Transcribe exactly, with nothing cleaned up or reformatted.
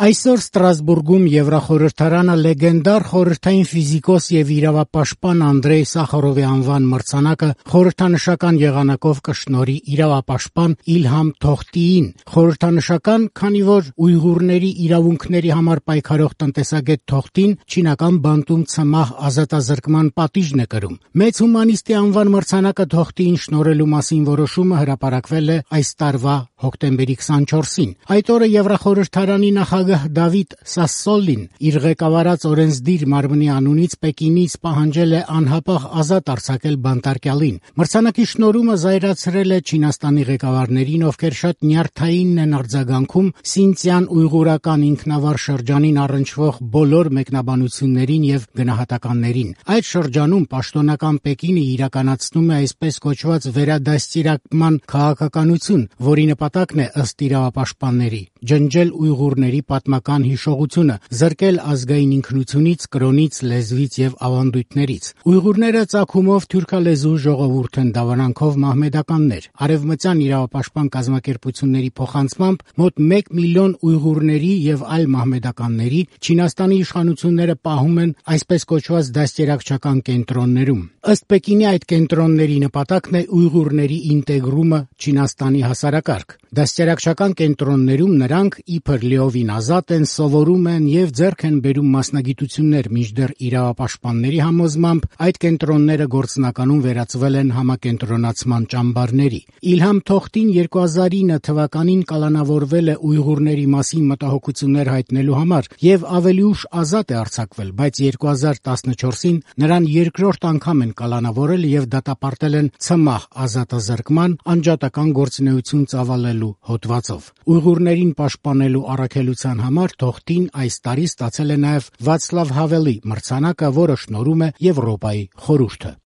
Այսօր Ստրասբուրգում Եվրախորհրդարանը լեգենդար խորհրդային ֆիզիկոս եւ իրավապաշտպան Անդրեյ Սախարովի անվան մրցանակը խորհրդանշական եղանակով կշնորհի իրավապաշտպան Իլհամ Թոխտիին։ Խորհրդանշական, քանի որ ուйղուրների իրավունքների համար պայքարող տնտեսագետ Թոխտին չինական բանտում ցմահ ազատազրկման պատիժն է կրում։ Մեծ հումանիստի անվան մրցանակը Թոխտիին շնորհելու մասին որոշումը հրապարակվել է այս տարվա հոկտեմբերի քսանչորսին։ Այդ օրը Եվրախորհրդարանի նախագահ Դավիթ Սասսոլին իր ղեկավարած օրենսդիր մարմնի անունից Պեկինից պահանջել է անհապաղ ազատ արձակել բանտարկյալին։ Մրցանակի շնորհումը զայրացրել է Չինաստանի ղեկավարներին, ովքեր շատ նյարդային են արձագանքում Սինցյան ուйղուրական ինքնավար շրջանին առնչվող բոլոր մեկնաբանություններին եւ գնահատականներին։ Այդ շրջանում պաշտոնական Պեկինը իրականացնում է այսպես կոչված վերադաստիարակման քաղաքականություն, որի նպատակն է ըստ իրավապաշտպանների ջնջել ուйղուրների պատմական հիշողությունը, զրկել ազգային ինքնությունից, կրոնից, լեզվից եւ ավանդույթներից։ Ուйղուրները ծագումով թուրքալեզու ժողովուրդ են, դավանանքով մահմեդականներ։ Արևմտյան իրավապաշտպան կազմակերպությունների փոխանցմամբ մոտ մեկ միլիոն ուйղուրների եւ այլ մահմեդականների Չինաստանի իշխանությունները պահում են այսպես կոչված դաստիարակչական կենտրոններում։ Ըստ Պեկինի այդ կենտրոնների նպատակն է ուйղուրների ինտեգրումը Չինաստանի հասարակարգ։ Դաստիարակչական կենտրոններում նրանք իբր լիովին ազատ են, սովորում են եւ ձեռք են բերում մասնագիտություններ, մինչդեռ իրավապաշտպանների համոզմամբ այդ կենտրոնները գործնականում վերածվել են համակենտրոնացման ճամբարների։ Իլհամ Թոխտին երկու հազար ինը թվականին կալանավորվել է ուйղուրների մասին մտահոգություններ հայտնելու համար եւ ավելի ուշ ազատ է արձակվել, բայց երկու հազար տասնչորսին նրան երկրորդ անգամ են կալանավորել եւ դատապարտել են ցմահ ազատազրկման անջատական գործունեություն ծավալելու հոդվածով։ Ուйղուրներին պաշտպանելու առաքելության համար Թոխտին այս տարի ստացել է նաեւ Վացլավ Հավելի մրցանակը, որը շնորհում է Եվրոպայի խորհուրդը։